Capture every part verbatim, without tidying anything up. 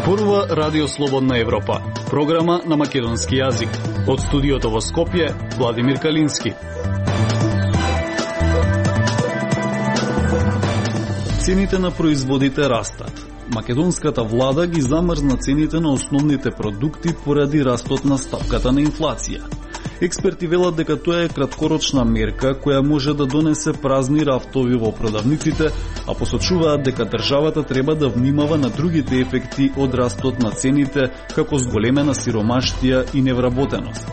Зборува Радио Слободна Европа, програма на македонски јазик. Од студиото во Скопје, Владимир Калински. Цените на производите растат. Македонската влада ги замрзна цените на основните продукти поради растот на стапката на инфлација. Експерти велат дека тоа е краткорочна мерка која може да донесе празни рафтови во продавниците, а посочуваат дека државата треба да внимава на другите ефекти од растот на цените, како зголемена сиромаштија и невработеност.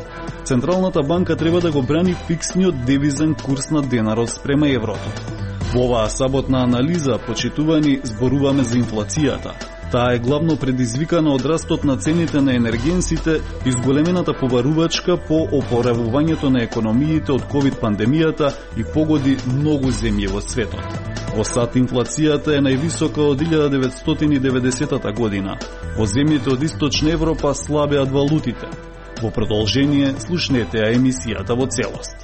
Централната банка треба да го брани фиксниот девизен курс на денарот спрема еврото. Во оваа саботна анализа, почитувани, зборуваме за инфлацијата. Таа е главно предизвикана од растот на цените на енергенсите и зголемената побарувачка по опоравувањето на економиите од ковид пандемијата и погоди многу земји во светот. Во САД инфлацијата е највисока од илјада деветстотини и деветдесетата година. Во земјите од Источна Европа слабеат валутите. Во продолжение, слушнете ја емисијата во целост.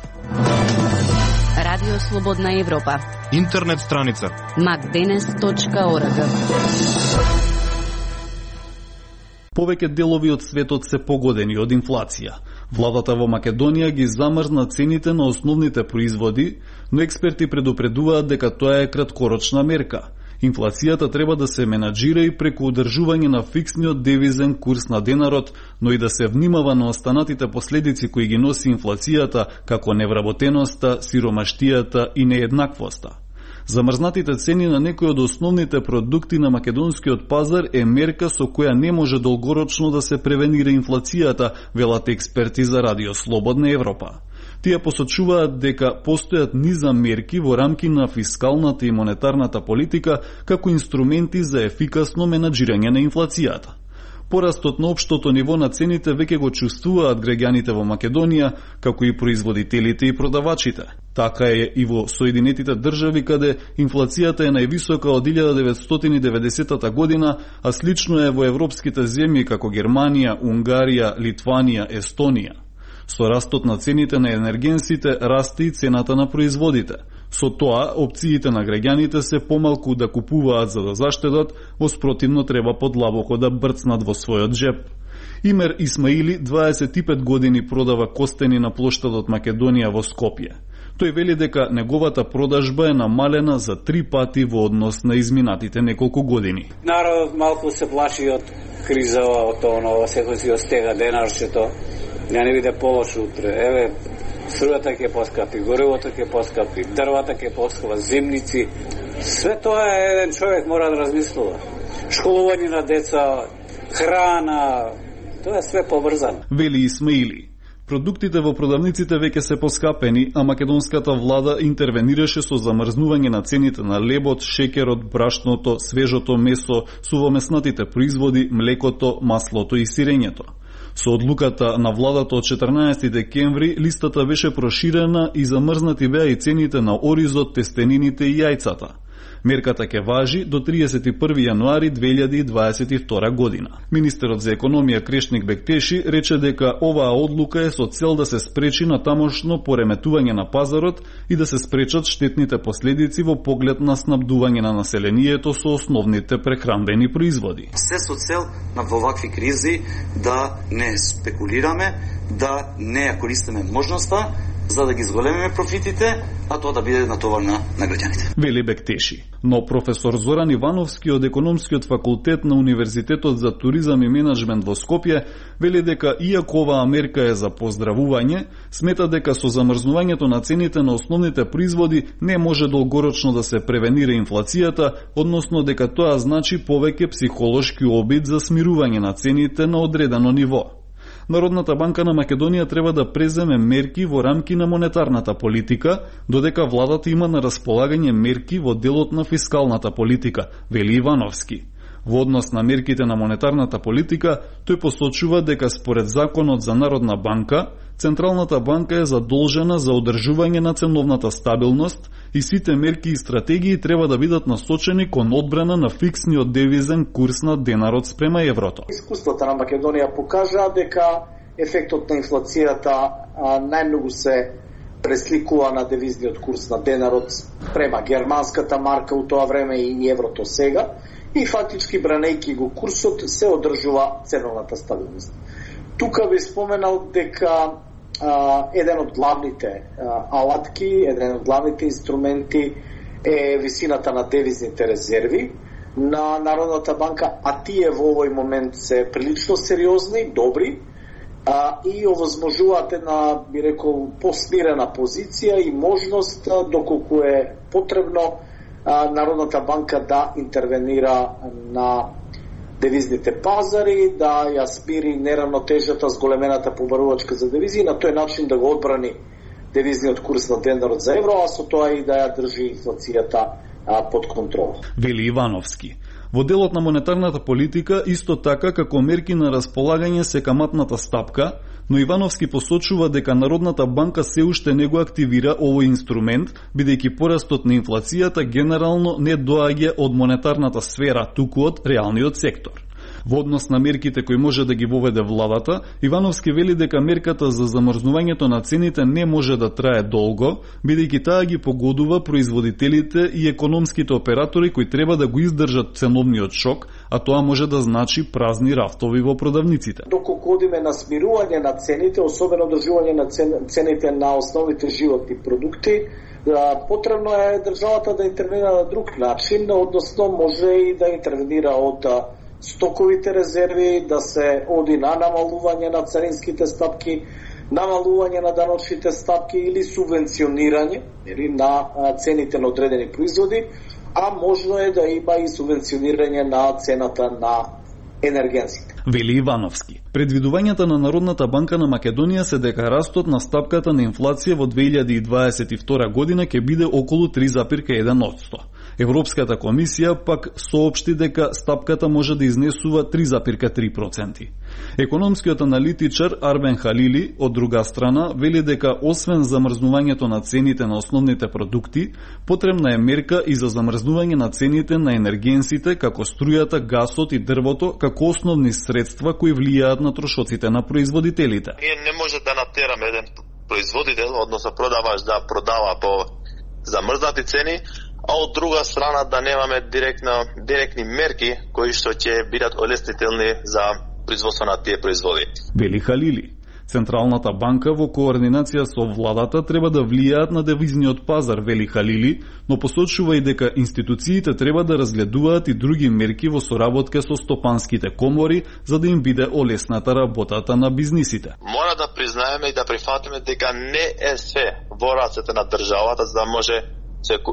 Радио Слободна Европа. Интернет страница макденес точка орг. Повеќе делови од светот се погодени од инфлација. Владата во Македонија ги замрзна цените на основните производи, но експерти предупредуваат дека тоа е краткорочна мерка. Инфлацијата треба да се менаџира и преку одржување на фиксниот девизен курс на денарот, но и да се внимава на останатите последици кои ги носи инфлацијата, како невработеноста, сиромаштијата и нееднаквоста. Замрзнатите цени на некои од основните продукти на македонскиот пазар е мерка со која не може долгорочно да се превенира инфлацијата, велат експерти за Радио Слободна Европа. Тие посочуваат дека постојат низа мерки во рамки на фискалната и монетарната политика како инструменти за ефикасно менаџирање на инфлацијата. Порастот на општото ниво на цените веќе го чувствуваат граѓаните во Македонија, како и производителите и продавачите. Така е и во Соединетите држави, каде инфлацијата е највисока од илјада деветстотини и деветдесетата година, а слично е во европските земји како Германија, Унгарија, Литванија, Естонија. Со растот на цените на енергенсите расте и цената на производите. Со тоа, опциите на граѓаните се помалку да купуваат за да заштедат, воспротивно треба подлабоко да брцнат во својот джеп. Имер Исмаили дваесет и пет години продава костени на плоштадот Македонија во Скопје. Тој вели дека неговата продажба е намалена за три пати во однос на изминатите неколку години. Народот малку се плаши од криза, од оно, секој си остега денарчето. Ја не биде полошо утре. Еве, струјата ќе поскапи, горивото ќе поскапи, дрвата ќе поскапи, земници. Све тоа е, еден човек мора да размислува. Школување на деца, храна, тоа е све поврзано. Вели Исмаили. Продуктите во продавниците веќе се поскапени, а македонската влада интервенираше со замрзнување на цените на лебот, шеќерот, брашното, свежото месо, сувомеснатите производи, млекото, маслото и сирењето. Со одлуката на владата од четрнаесети декември, листата беше проширена и замрзнати беа и цените на оризот, тестенините и јајцата. Мерката ќе важи до триесет и први јануари две илјади и дваесет и втора година. Министерот за економија Крешник Бектеши рече дека оваа одлука е со цел да се спречи на тамошно пореметување на пазарот и да се спречат штетните последици во поглед на снабдување на населението со основните прехранбени производи. Се со цел на вовакви кризи да не спекулираме, да не ја користиме можноста за да ги зголемиме профитите, а тоа да биде натоварна на граѓаните. Вели Бектеши. Но професор Зоран Ивановски од Економскиот факултет на Универзитетот за туризам и менеджмент во Скопје вели дека иако оваа мерка е за поздравување, смета дека со замрзнувањето на цените на основните производи не може долгорочно да се превенира инфлацијата, односно дека тоа значи повеќе психолошки обид за смирување на цените на одредено ниво. Народната банка на Македонија треба да преземе мерки во рамки на монетарната политика, додека владата има на располагање мерки во делот на фискалната политика, вели Ивановски. Во однос на мерките на монетарната политика, тој посочува дека според законот за Народна банка, Централната банка е задолжена за одржување на ценовната стабилност и сите мерки и стратегии треба да бидат насочени кон одбрана на фиксниот девизен курс на денарот спрема еврото. Искуствата на Македонија покажа дека ефектот на инфлацијата најмногу се пресликува на девизниот курс на денарот спрема германската марка у тоа време и еврото сега. и фактички бранејќи го курсот се одржува ценовната стабилност. Тука би споменал дека а, еден од главните а, алатки, еден од главните инструменти е висината на девизните резерви на Народната банка, а тие во овој момент се прилично сериозни, добри, а, и овозможуваат една, би рекол, посмирена позиција и можност, а, доколку е потребно, а, Народната банка да интервенира на девизните пазари, да ја смири неравнотежата с големената побарувачка за девизи, на тој начин да го одбрани девизниот курс на денарот за евро, а со тоа и да ја држи инфлацијата а, под контрола. Вели Ивановски. Во делот на монетарната политика, исто така како мерки на располагање се каматната стапка, но Ивановски посочува дека Народната банка се уште не го активира овој инструмент, бидејќи порастот на инфлацијата генерално не доаѓа од монетарната сфера, туку од реалниот сектор. Во однос на мерките кои може да ги воведе владата, Ивановски вели дека мерката за замрзнувањето на цените не може да трае долго, бидејќи таа ги погодува производителите и економските оператори кои треба да го издржат ценовниот шок, а тоа може да значи празни рафтови во продавниците. Доколку одиме на смирување на цените, особено одржување на цените на основните животни продукти, потребно е државата да интервенира на друг начин, односно може и да интервенира од стоковите резерви, да се оди на намалување на царинските стапки, намалување на даночните стапки или субвенционирање или на цените на одредени производи, а можно е да има и субвенционирање на цената на енергенсите. Вели Ивановски. Предвидувањата на Народната банка на Македонија се дека растот на стапката на инфлација во две илјади и дваесет и втора година ќе биде околу три зарез еден одсто. Европската комисија пак соопшти дека стапката може да изнесува три зарез три проценти. Економскиот аналитичар Арбен Халили, од друга страна, вели дека освен замрзнувањето на цените на основните продукти, потребна е мерка и за замрзнување на цените на енергенсите, како струјата, гасот и дрвото, како основни средства кои влијаат на трошоците на производителите. Ние не може да натераме еден производител, односно продавач, да продава по замрзнати цени, а од друга страна да немаме директно, директни мерки кои што ќе бидат олеснителни за производство на тие производи. Вели Халили. Централната банка во координација со владата треба да влијаат на девизниот пазар, вели Халили, но посочува и дека институциите треба да разгледуваат и други мерки во соработка со стопанските комори за да им биде олесната работата на бизнисите. Мора да признаеме и да прифатиме дека не е све во рацете на државата за да може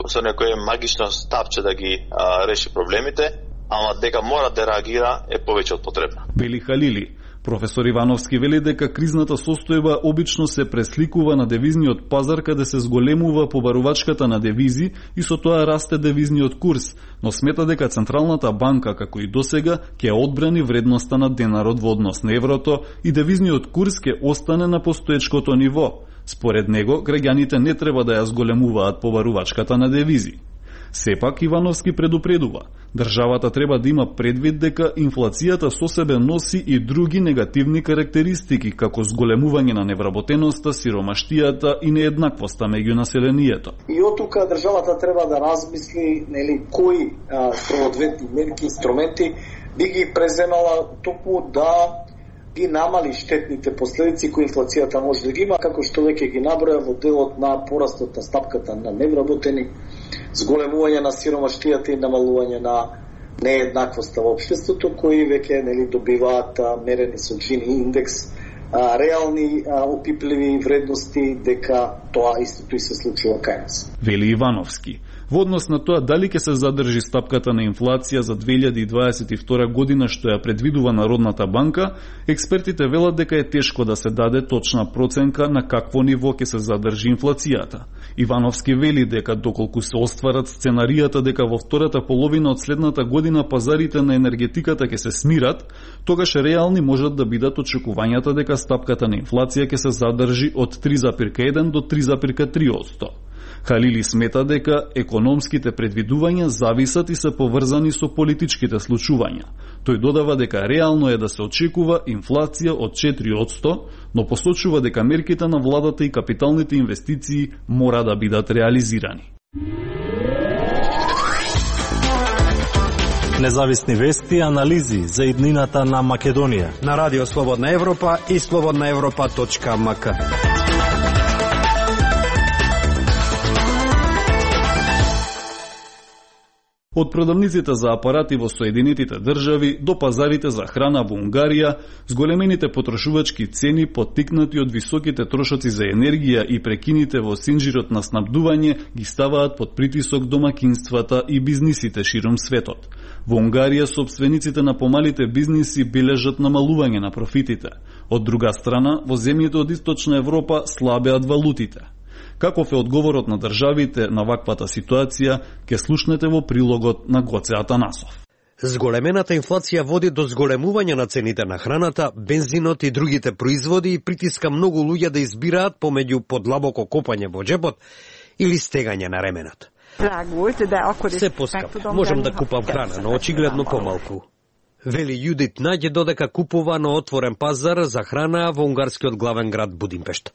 со некое магично стапче да ги а, реши проблемите, ама дека мора да реагира е повеќе од потребно. Вели Халили. Професор Ивановски вели дека кризната состојба обично се пресликува на девизниот пазар каде се зголемува побарувачката на девизи и со тоа расте девизниот курс, но смета дека Централната банка, како и досега, ќе одбрани вредноста на денарот во однос на еврото и девизниот курс ќе остане на постоечкото ниво. Според него, граѓаните не треба да ја зголемуваат побарувачката на девизи. Сепак Ивановски предупредува, државата треба да има предвид дека инфлацијата со себе носи и други негативни карактеристики, како зголемување на невработеноста, сиромаштијата и нееднаквоста меѓу населението. И од тука државата треба да размисли, нели, кои соодветни мерки, инструменти би ги преземала токму да ги намали штетните последици кои инфлацијата може да ги има, како што веќе ги наброја во делот на порастот на стапката на невработени, зголемување на сиромаштијата и намалување на нееднаквоста во општеството, кои веќе нели добиваат а, мерени со Джини индекс, а, реални а, опипливи вредности дека тоа истото и се случува кај нас. Вели Ивановски. Во однос на тоа дали ќе се задржи стапката на инфлација за две илјади и дваесет и втора година што ја предвидува Народната банка, експертите велат дека е тешко да се даде точна проценка на какво ниво ќе се задржи инфлацијата. Ивановски вели дека доколку се остварат сценаријата дека во втората половина од следната година пазарите на енергетиката ќе се смират, тогаш реални можат да бидат очекувањата дека стапката на инфлација ќе се задржи од три зарез еден до три зарез три одсто. Халили смета дека економските предвидувања зависат и се поврзани со политичките случувања. Тој додава дека реално е да се очекува инфлација од четири одсто, но посочува дека мерките на владата и капиталните инвестиции мора да бидат реализирани. Независни вести и анализи за иднината на Македонија. На Радио Слободна Европа и слободна европа точка ем ка. Од продавниците за апарати во Соединетите држави до пазарите за храна во Унгарија, зголемените потрошувачки цени поттикнати од високите трошоци за енергија и прекините во синџирот на снабдување ги ставаат под притисок домакинствата и бизнисите широм светот. Во Унгарија сопствениците на помалите бизниси бележат намалување на профитите. Од друга страна, во земјите од Источна Европа слабеат валутите. Каков е одговорот на државите на ваквата ситуација, ке слушнете во прилогот на Гоце Атанасов. Зголемената инфлација води до зголемување на цените на храната, бензинот и другите производи и притиска многу луѓе да избираат помеѓу подлабоко копање во џебот или стегање на ременот. Се поскап, можам да купам храна, но очигледно помалку. Вели Јудит Наѓе додека купува на отворен пазар за храна во унгарскиот главен град Будимпешта.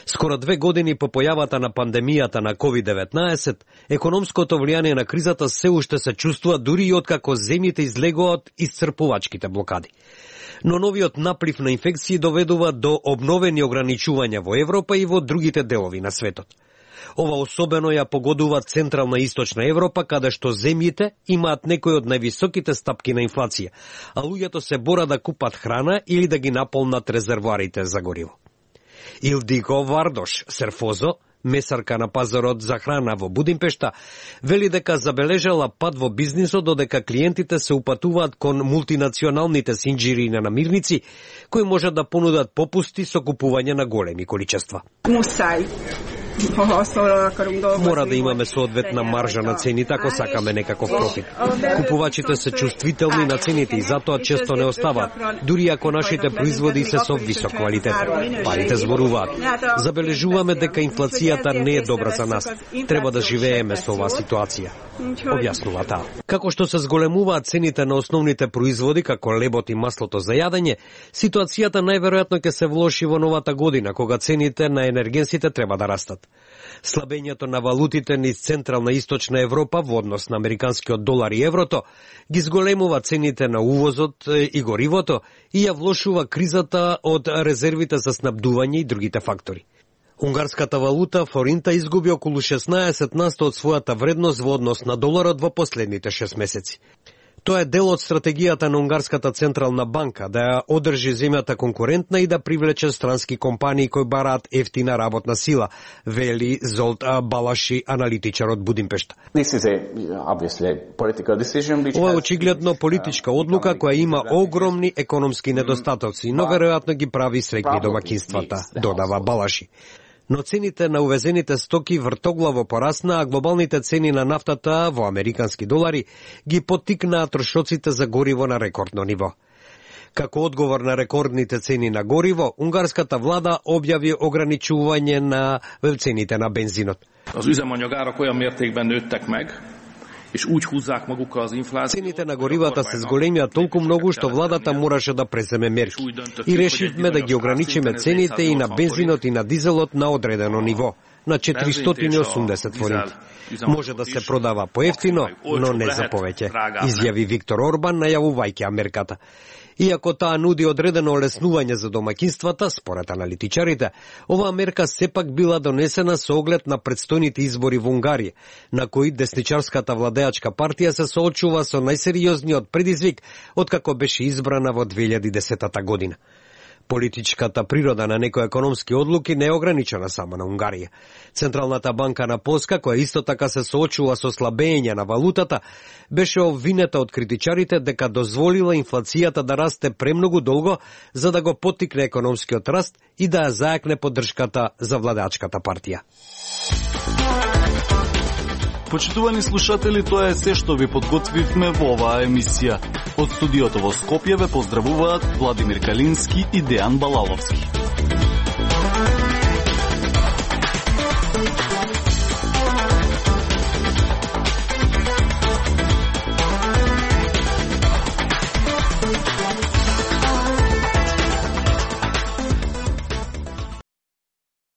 Скоро две години по појавата на пандемијата на ковид деветнаесет, економското влијание на кризата се уште се чувствува дури и откако земјите излегоа од исцрпувачките блокади. Но новиот наплив на инфекции доведува до обновени ограничувања во Европа и во другите делови на светот. Ова особено ја погодува Централна и Источна Европа, каде што земјите имаат некои од највисоките стапки на инфлација, а луѓето се бора да купат храна или да ги наполнат резервоарите за гориво. Илдиго Вардош Серфозо, месарка на пазарот за храна во Будимпешта, вели дека забележала пад во бизнисот додека клиентите се упатуваат кон мултинационалните синџири на намирници, кои можат да понудат попусти со купување на големи количества. Мусај. Мора да имаме соодветна маржа на цените ако сакаме некаков профит. Купувачите се чувствителни на цените и затоа често не оставаат, дури ако нашите производи се со висок квалитет. Парите зборуваат. Забележуваме дека инфлацијата не е добра за нас. Треба да живееме со оваа ситуација, објаснува таа. Како што се зголемуваат цените на основните производи, како лебот и маслото за јадење, ситуацијата најверојатно ќе се влоши во новата година, кога цените на енергенсите треба да растат. Слабењето на валутите низ Централна и Источна Европа во однос на американскиот долар и еврото ги зголемува цените на увозот и горивото и ја влошува кризата од резервите за снабдување и другите фактори. Унгарската валута форинта изгуби околу шеснаесет на сто од својата вредност во однос на доларот во последните шест месеци. Тоа е дел од стратегијата на Унгарската централна банка да ја одржи земјата конкурентна и да привлече странски компании кои бараат ефтина работна сила, вели Золт Балаши, аналитичар од Будимпешта. Ова е очигледно политичка одлука која има огромни економски недостатоци, но веројатно ги прави среќни домакинствата, додава Балаши. Но цените на увезените стоки вртоглаво порасна, а глобалните цени на нафтата во американски долари ги поттикнаа трошоците за гориво на рекордно ниво. Како одговор на рекордните цени на гориво, унгарската влада објави ограничување на цените на бензинот. Цените на горивата се зголемија толку многу што владата мораше да преземе мерки. И решивме да ги ограничиме цените и на бензинот и на дизелот на одредено ниво, на четиристотини и осумдесет форинти. Може да се продава поевтино, но не за повеќе, изјави Виктор Орбан, најавувајќи мерката. Иако таа нуди одредено олеснување за домакинствата, според аналитичарите, оваа мерка сепак била донесена со оглед на предстојните избори во Унгарија, на кои десничарската владеачка партија се соочува со најсериозниот предизвик откако беше избрана во две илјади и десета година. Политичката природа на некои економски одлуки не е ограничена само на Унгарија. Централната банка на Полска, која исто така се соочува со слабење на валутата, беше обвинета од критичарите дека дозволила инфлацијата да расте премногу долго за да го поттикне економскиот раст и да ја зајакне поддршката за владеачката партија. Почитувани слушатели, тоа е се што ви подготвивме во оваа емисија. Од студиото во Скопје ве поздравуваат Владимир Калински и Дејан Балаловски.